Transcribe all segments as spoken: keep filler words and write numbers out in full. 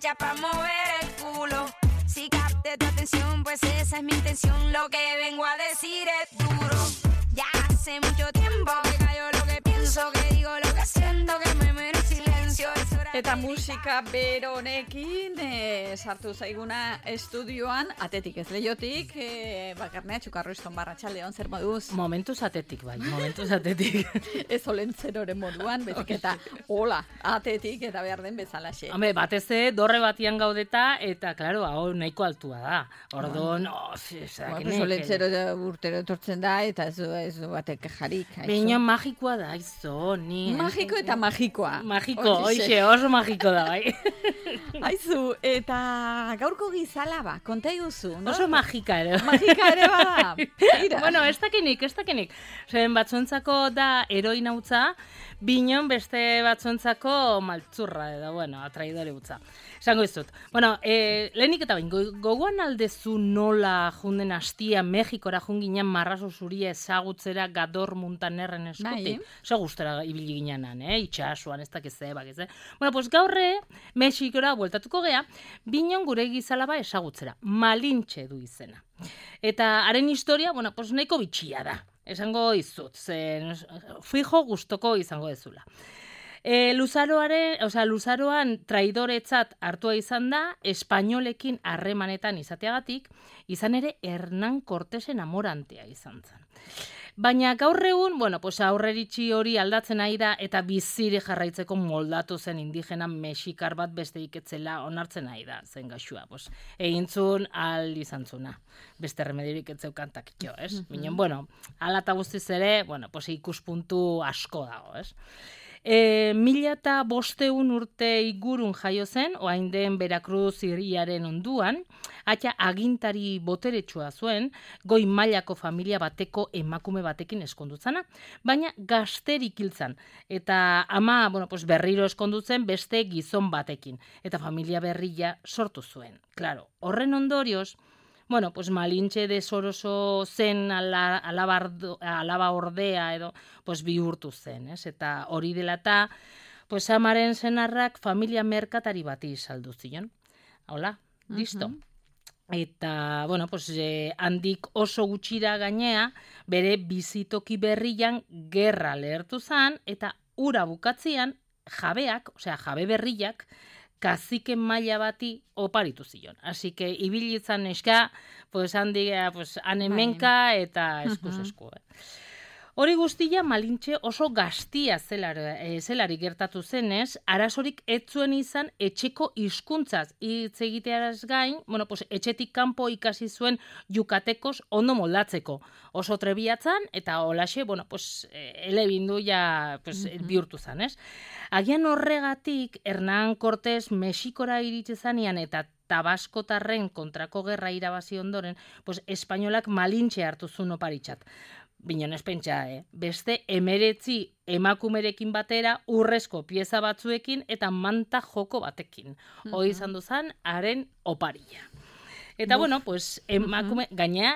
hecha pa' mover el culo. Si capté tu atención, pues esa es mi intención. Lo que vengo a decir es duro. Ya hace mucho tiempo que callo lo que pienso, que digo lo que siento, que me muero en silencio. Eta musika beronekin e, sartu zaiguna estudioan, atetik ez leiotik, e, bakarnea txukarroizton barratxaldeon, zer moduz? Momentuz atetik, bai, momentuz atetik. Ez olentzeroren moduan, bezik eta hola, atetik eta behar den bezalaxe. Hombre, batez ere, dorre batian gaudeta, eta, klaro, hau nahiko altua da. Ordon, oh, zera, bueno, olentzero urtero etortzen da, eta ez du, ez du batek jarik. Baina magikoa da, izo, ni. Magiko eta magikoa. Magiko, oixe, oso magiko da, bai. Aizu, eta gaurko gizalaba, konta iguzu, no? Oso magika ere. Magika ere bada. Bueno, ez dakinik, ez dakinik. Zeren batzuentzako da heroina utza, binon beste batzuentzako maltzurra, edo, bueno, atraidore utza. Esango izut. Bueno, e, lehenik eta bain, gogoan aldezu nola junden hastia Mexikora junginen marrazo zuria ezagutzera Gador Muntanerren eskutik. Zo gustera ibili ginenan, eh? Itxasuan, ez dakiz ebak, ez, eh? Bueno, pues gaurre, Mexikora bueltatuko gea, binon gure gizalaba ezagutzera. Malintxe du izena. Eta haren historia, bueno, pues nahiko bitxia da. Esango izut, zen fijo gustoko izango dezula. E, Luzaroaren, o sea, Luzaroan traidoretzat hartua izan da, espainolekin harremanetan izateagatik, izan ere Hernán Cortesen amorantea izan zen. Baina gaur egun, bueno, pues aurreritzi hori aldatzen ari da eta biziri jarraitzeko moldatu zen indigena mexikar bat besteik etzela onartzen ari da, zen gaxua. Pues, egintzun al izantzuna. Beste remedirik etzeukan takitxo, ez? Binen, bueno, ala eta guztiz ere, bueno, pues ikuspuntu asko dago, ez? E, mila eta bosteun urte igurun jaio zen, oain den Veracruz hiriaren onduan, atxa agintari boteretsua zuen, goi mailako familia bateko emakume batekin eskondutzana, baina gazterik hiltzan. Eta ama, bueno, pues berriro eskondutzen beste gizon batekin, eta familia berria sortu zuen. Claro, horren ondorioz, bueno, pues Malintxe desoroso zen ala, alabardo, alaba ordea edo, pues bihurtu zen, ez? Eta hori dela eta, pues amaren senarrak familia merkatari bati saldu zion. Hola, listo. Uh-huh. Eta, bueno, pues eh, handik oso gutxira gainea, bere bizitoki berrian gerra lehertu zan, eta ura bukatzean jabeak, osea jabe berriak, kaziken maila bati oparitu zion. Así que ibilitzan eska, pues handia, pues anemenka eta eskuz esku. Hori guztia Malintxe oso gaztia zelar, e, zelari gertatu zenez, arazorik ez zuen izan etxeko hizkuntzaz hitz egitearaz gain, bueno, pues etxetik kanpo ikasi zuen Yukatekos ondo moldatzeko. Oso trebiatzan eta holaxe, bueno, pues elebindu ja pues, uh-huh. bihurtu zan, ez? Agian horregatik Hernán Cortés Mexikora iritsi zanean eta Tabaskotarren kontrako gerra irabazi ondoren, pues espainolak Malintxe hartu zuen oparitzat. Binon ez pentsa, eh? Beste emeretzi emakumerekin batera urrezko pieza batzuekin eta manta joko batekin. Uh-huh. Hoi izan duzan, haren oparia. Eta Buf. bueno, pues emakume, uh-huh. gainea,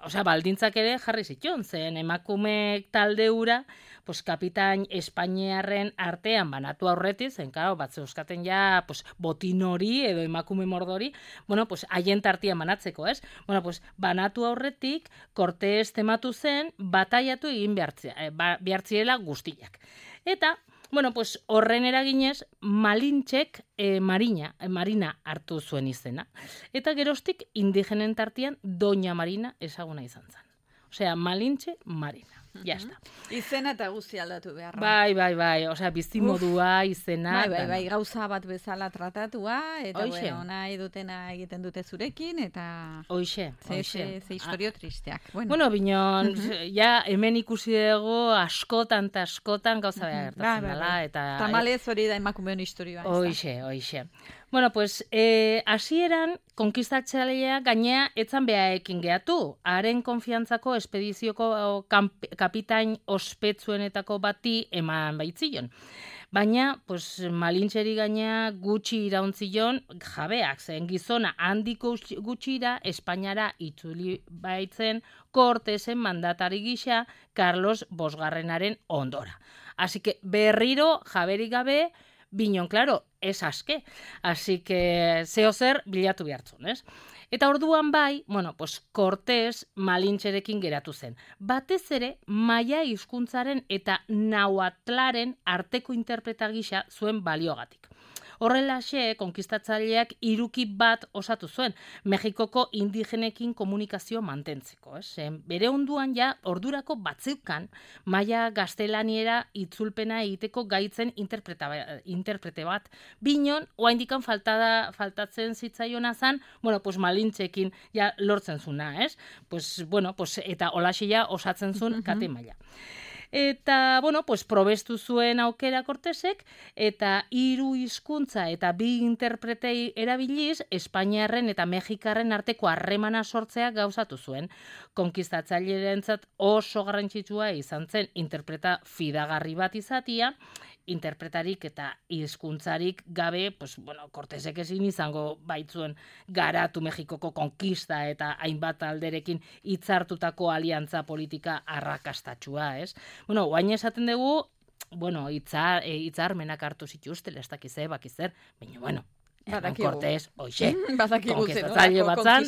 osea, baldintzak ere jarri zitzon, zen emakume talde ura, pues kapitain Espainiarren artean banatu aurretik, zen, claro, batzu euskaten ja, pues, botin hori edo emakume mordori, bueno, pues, haien tartian banatzeko, ez? Bueno, pues, banatu aurretik, Cortés tematu zen, bataiatu egin behartzea, eh, ba, behartziela guztiak. Eta, bueno, pues, horren eraginez, Malintxek eh, Marina, eh, Marina hartu zuen izena. Eta geroztik, indigenen tartian, Doña Marina ezaguna izan zen. Osea, Malintxe Marina. Ya está. Izena eta guzti aldatu beharra. Bai, bai, bai. Osea, bizimodua, izena. Bai, bai, bai. Gauza bat bezala tratatua, eta Oixe. bueno, nahi dutena egiten dute zurekin, eta... Oixe, ze, oixe. Ze, ze historio tristeak. Bueno, bueno binon, ja, hemen ikusi dugu askotan eta askotan gauza beha gertatzen dela, eta... Tamalez hori da emakumeon historioa. Oixe, oixe. Bueno, pues, eh, hasieran konkistatzailea gainea etzan behaekin gehatu. Haren konfiantzako espedizioko kamp, kapitain ospetsuenetako bati eman baitzion. Baina, pues, Malintxeri gainea gutxi irauntzilion jabeak zen gizona handiko gutxira Espainiara itzuli baitzen Cortesen mandatari gisa Carlos Bosgarrenaren ondora. Así que berriro jaberik gabe Binon, claro, ez aske. Así que zeo zer bilatu behartzun, ez? Eta orduan bai, bueno, pues Cortés Malintxerekin geratu zen. Batez ere, maia hizkuntzaren eta nahuatlaren arteko interpreta gisa zuen baliogatik. Horrelaxe, konkistatzaileak hiruki bat osatu zuen, Mexikoko indigenekin komunikazio mantentzeko. Ez? Bere onduan ja, ordurako batzeukan, maia gaztelaniera itzulpena egiteko gaitzen interprete bat. Binon, oaindikan faltada, faltatzen zitzaiona zan, bueno, pues Malintxekin ja lortzen zuna, ez? Pues, bueno, pues, eta holaxe ja osatzen zuen kate maila. Eta, bueno, pues, probestu zuen aukera Cortesek, eta hiru hizkuntza eta bi interpretei erabiliz, Espainiarren eta Mexikarren arteko harremana sortzea gauzatu zuen. Konkistatzailerentzat oso garrantzitsua izan zen interpreta fidagarri bat izatia, interpretarik eta hizkuntzarik gabe, pues, bueno, Cortesek ezin izango baitzuen garatu Mexikoko konkista eta hainbat alderekin hitzartutako aliantza politika arrakastatsua, ez? Bueno, guain esaten dugu, bueno, hitzar, hitzarmenak hartu zituztela, ez dakiz, bakizer, baina, bueno, Cortés, oixe, konkistatzaile batzan,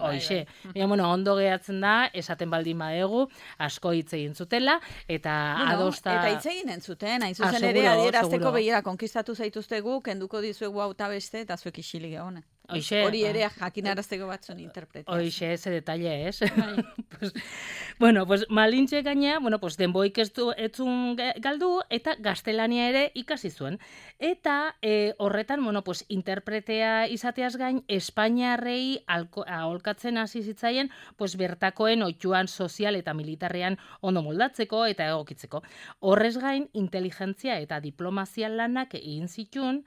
oixe. Baina, bueno, ondo gehatzen da, esaten baldin badegu, asko hitz egin zutela, eta adosta... Eta hitz egin entzuten, hain zuzen ere, adierazteko behira, konkistatu zaituztegu, kenduko dizuegu hau eta beste, eta zuek isilik egone. Hori ere jakinarazteko batzun interpretazio. Oixe, ese detalle, ez? pues, bueno, pues Malintxe gaina, bueno, pues denboik ez du etzun galdu, eta gaztelania ere ikasi zuen. Eta e, horretan, bueno, pues interpretea izateaz gain, Espainiarrei aholkatzen hasi zitzaien, pues bertakoen oituan sozial eta militarrean ondo moldatzeko eta egokitzeko. Horrez gain, inteligentzia eta diplomazia lanak egin zituen,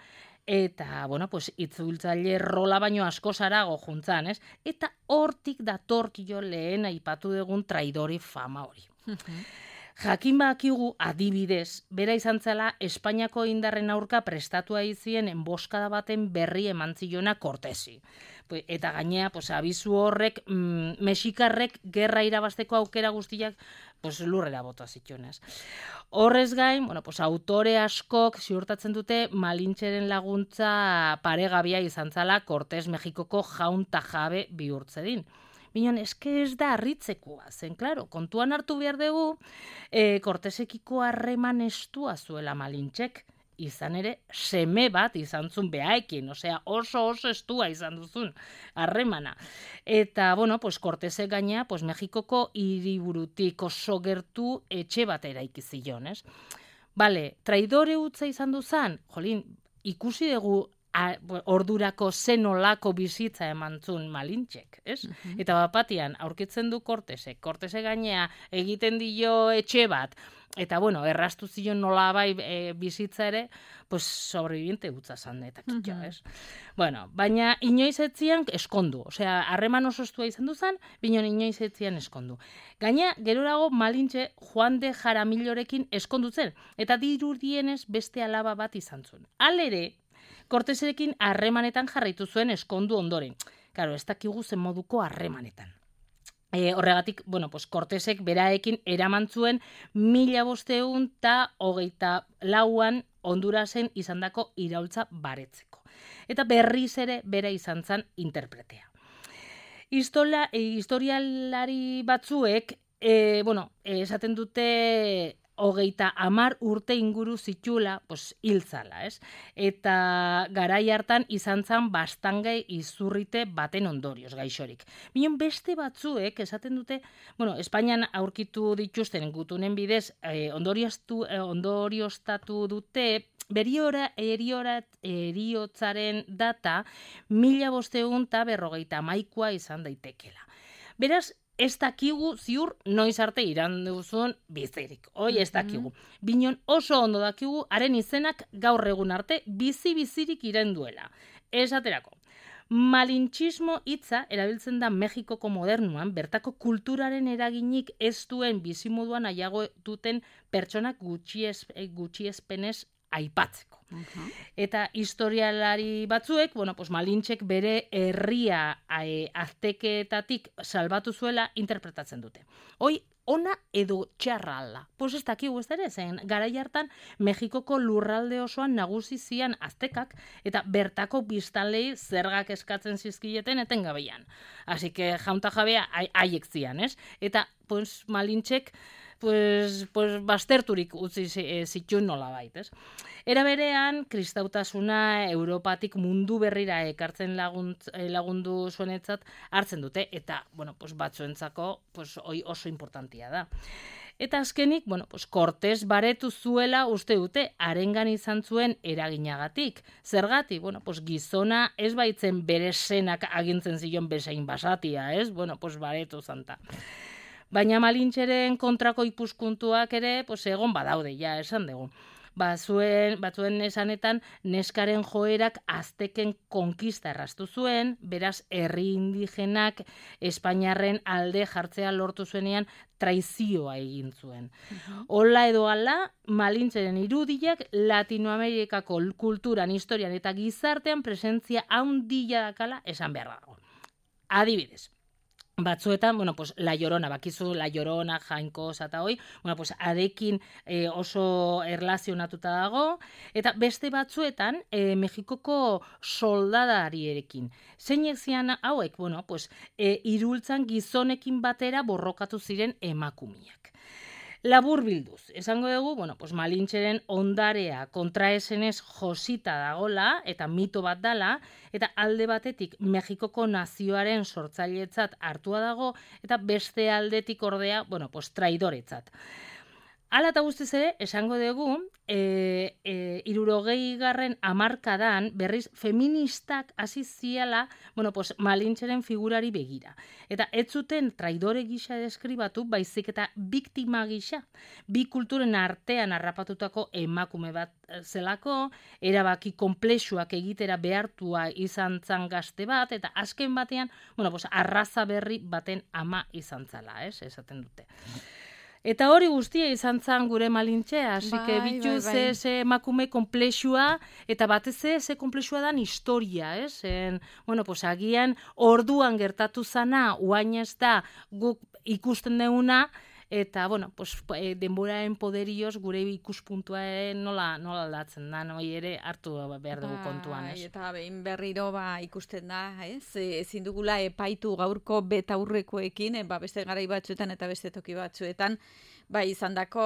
eta, bueno, pues, itzultzaile rola baino asko zarago juntzan, ez? Eta hortik datorkio lehen aipatu dugun traidori fama hori. Jakin bakigu adibidez, bera izan zela Espainiako indarren aurka prestatua izien enboskada baten berri eman zilona Cortesi. Eta gainea, pues, abizu horrek, mm, Mexikarrek gerra irabazteko aukera guztiak pues, lurrera bota zitxonez. Horrez gain, bueno, pues, autore askok ziurtatzen dute Malintxeren laguntza paregabia izan zala Cortés Mexikoko jaun ta jabe bihurtzedin. Binon, eske ez da harritzekoa, zen, klaro, kontuan hartu behar dugu, e, Cortésekiko harreman estua zuela Malintxek, izan ere, seme bat izan zuen behaekin, osea, oso oso estua izan duzun harremana. Eta, bueno, pues, Cortesek gaina, pues, Mexikoko hiriburutik oso gertu etxe bat eraiki zion, ez? Bale, traidore utza izan duzan, jolin, ikusi dugu A, ordurako zenolako bizitza emantzun Malintxek, ez? Uh-huh. Eta bapatian, aurkitzen du Cortesek, Cortesek gainea egiten dio etxe bat, eta bueno, errastu zion nola bai e, bizitza ere, pues sobreviviente utza zan eta kitxo, uh-huh. ez? Bueno, baina inoiz etzian eskondu, osea, harreman oso estua izan duzan, binon inoiz etzian eskondu. Gaina, gerorago Malintxe Juan de Jaramillorekin eskondutzen, eta dirudienez beste alaba bat izan zuen. Halere, Cortesekin harremanetan jarraitu zuen eskondu ondoren. Karo, ez dakigu zen moduko harremanetan. E, horregatik, bueno, pues Cortesek beraekin eraman zuen mila bosteun eta hogeita lauan Hondurasen izandako iraultza baretzeko. Eta berriz ere bera izan zen interpretea. Historia, e, historialari batzuek, e, bueno, esaten dute hogeita hamar urte inguru zitula, pues, hiltzala, ez? Eta garai hartan izan zan bastangai izurrite baten ondorioz gaixorik. Bion beste batzuek esaten dute, bueno, Espainian aurkitu dituzten gutunen bidez, eh, ondorioztu, eh, ondorioztatu dute, Beriora, eriorat, eriotzaren data, mila bosteun eta berrogeita maikua izan daitekela. Beraz, ez dakigu ziur noiz arte iran duzun bizirik. Hoi ez dakigu. Binon oso ondo dakigu, haren izenak gaur egun arte bizi-bizirik iran duela. Esaterako, malintxismo hitza erabiltzen da Mexikoko modernuan, bertako kulturaren eraginik ez duen bizimoduan aiago duten pertsonak gutxiespenez aipatzeko. Uh-huh. Eta historialari batzuek, bueno, pues Malintxek bere herria e, azteketatik salbatu zuela interpretatzen dute. Hoi ona edo txarra alda. Pues ez dakigu ez ere, zen garai hartan Mexikoko lurralde osoan nagusi zian aztekak eta bertako biztanlei zergak eskatzen zizkileten etengabeian. Así que jaunta jabea haiek zian, ez? Eta pues Malintxek pues, pues basterturik utzi zituen nolabait, ez? Era berean, kristautasuna Europatik mundu berrira ekartzen lagunt, lagundu zuenetzat hartzen dute, eta, bueno, pues batzuentzako pues, oi oso importantia da. Eta azkenik, bueno, pues Cortés baretu zuela uste dute, harengan izan zuen eraginagatik. Zergatik, bueno, pues gizona ez baitzen bere senak agintzen zion bezain basatia, ez? Bueno, pues baretu zanta. Baina Malintxeren kontrako ipuskuntuak ere, pues egon badaude, ja, esan dugu. Bazuen, batzuen esanetan, neskaren joerak azteken konkista erraztu zuen, beraz, herri indigenak Espainiarren alde jartzea lortu zuenean traizioa egin zuen. Hola edo ala, Malintxeren irudiak Latinoamerikako kulturan, historian eta gizartean presentzia handia dakala esan behar dago. Adibidez, batzuetan, bueno, pues, La Llorona, bakizu La Llorona, Jainko, eta hoi, bueno, pues, arekin eh, oso erlazionatuta dago, eta beste batzuetan, eh, Mexikoko soldadarierekin. Zeinek zian hauek, bueno, pues, eh, irultzan gizonekin batera borrokatu ziren emakumiak. Labur bilduz, esango dugu, bueno, pues Malintxeren ondarea kontraesenez josita dagola, eta mito bat dala, eta alde batetik Mexikoko nazioaren sortzailetzat hartua dago, eta beste aldetik ordea, bueno, pues traidoretzat. Hala eta guztiz ere, esango dugu, e, e, irurogei garren hamarkadan berriz feministak hasi ziala, bueno, pues Malintxeren figurari begira. Eta ez zuten traidore gisa deskribatu, baizik eta biktima gisa. Bi kulturen artean harrapatutako emakume bat zelako, erabaki konplexuak egitera behartua izan zan gazte bat, eta azken batean, bueno, pues arraza berri baten ama izan zala, ez, esaten dute. Eta hori guztia izan zan gure Malintxea, hasi que bitu ze, ze emakume konplexua, eta batez ze, ze konplexua dan historia, ez? En, bueno, pues agian orduan gertatu zana, uain ez da guk ikusten deuna, eta, bueno, pues, denboraren poderioz gure ikuspuntua nola, nola aldatzen da, noi ere hartu behar dugu kontuan, ez? Eta behin berriro ba, ikusten da, ez? Ezin dugula epaitu gaurko betaurrekoekin, ba, beste garai batzuetan eta beste toki batzuetan, ba, izan dako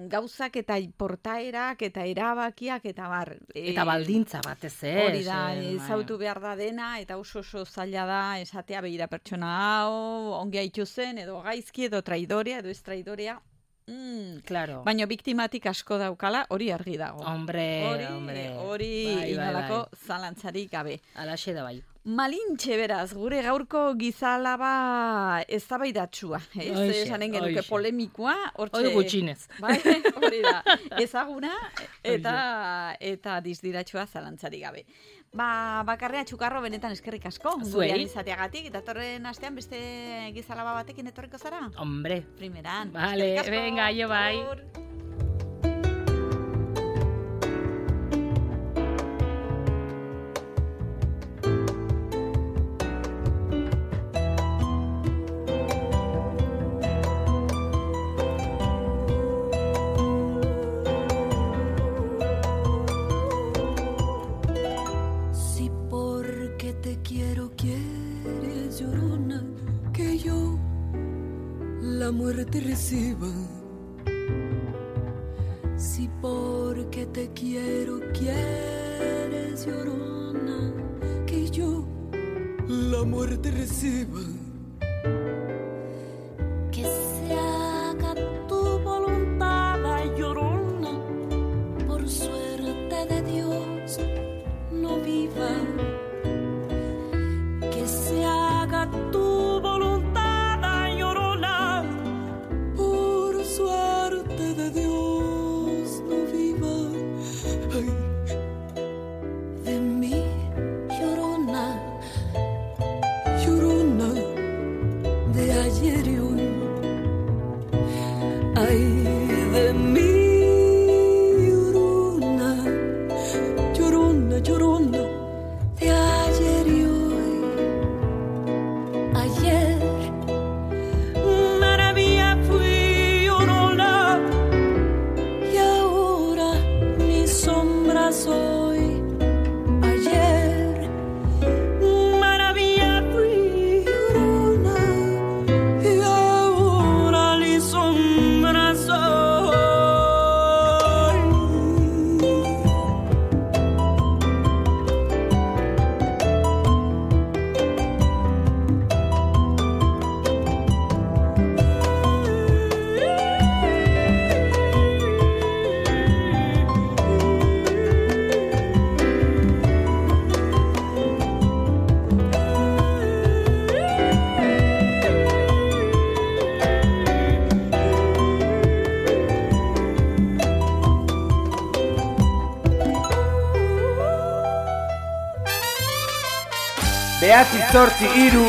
gauzak eta portaerak eta erabakiak eta bar. Eta baldintza batez, ez? Hori da, ezautu behar da dena, eta oso oso zaila da esatea behira pertsona hau, ongi haitu zen, edo gaizki, edo traidorea, edo ez traidorea. Mm. Claro. Baina biktimatik asko daukala, hori argi dago. Hombre, hori, hombre. Hori bai, inolako bai, bai. Zalantzarik gabe. Alaxe da bai. Malintxe beraz, gure gaurko gizalaba eztabaidatsua, ez? Esanen genuke polemikoa, hortxe. Hori gutxinez. Bai, hori da. Ezaguna eta eta dizdiratxua zalantzarik gabe. Ba, bakarrea Txukarro benetan eskerrik asko. Gurean izateagatik, datorren astean beste gizalaba batekin etorriko zara? Hombre. Primeran. Vale, venga, jo bai. Te reciba, si porque te quiero quieres, llorona, que yo la muerte reciba, que se haga tu voluntad, llorona, por suerte de Dios no viva, que se haga tu voluntad. De Dios no viva, ay, de mí llorona, llorona de ayer y hoy, ay, de mí llorona, llorona, llorona de ayer y hoy, ayer maravilla. soy. Ayer maravilla fui llorona y ahora li sombra soy. Behatzi zortzi hiru